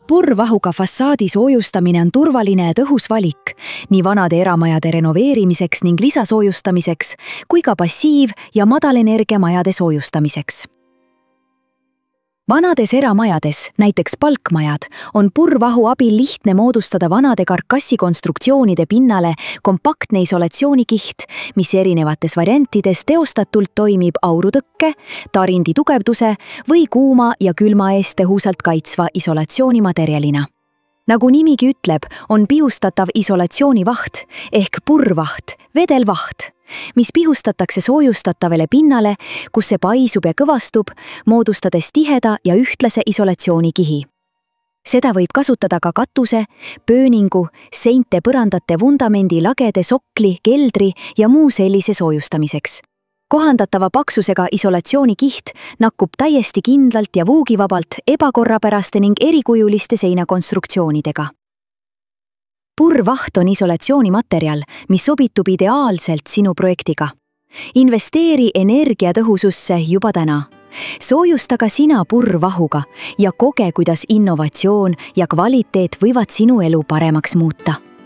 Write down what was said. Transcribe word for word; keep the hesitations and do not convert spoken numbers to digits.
Purrvahuga fassaadi soojustamine on turvaline ja tõhus valik nii vanade eramajade renoveerimiseks ning lisasoojustamiseks kui ka passiiv- ja madalenergia majade soojustamiseks. Vanades eramajades, näiteks palkmajad, on purrvahu abil lihtne moodustada vanade karkassikonstruktsioonide pinnale kompaktne isolatsioonikiht, mis erinevates variantides teostatult toimib aurutõkke, tarindi tugevduse või kuuma ja külma eest tõhusalt kaitsva isolatsioonimaterjalina. Nagu nimigi ütleb, on pihustatav isolatsioonivaht ehk purrvaht, vedelvaht, mis pihustatakse soojustatavale pinnale, kus see paisub ja kõvastub, moodustades tiheda ja ühtlase isolatsioonikihi. Seda võib kasutada ka katuse, pööningu, seinte põrandate vundamendi lagede sokli, keldri ja muu sellise soojustamiseks. Kohandatava paksusega isolatsioonikiht nakkub täiesti kindlalt ja vuugivabalt ebakorrapäraste ning erikujuliste seinakonstruktsioonidega. Purrvaht on isolatsioonimaterjal, mis sobitub ideaalselt sinu projektiga. Investeeri energiatõhususse juba täna. Soojusta ka sina purrvahuga ja koge, kuidas innovatsioon ja kvaliteet võivad sinu elu paremaks muuta.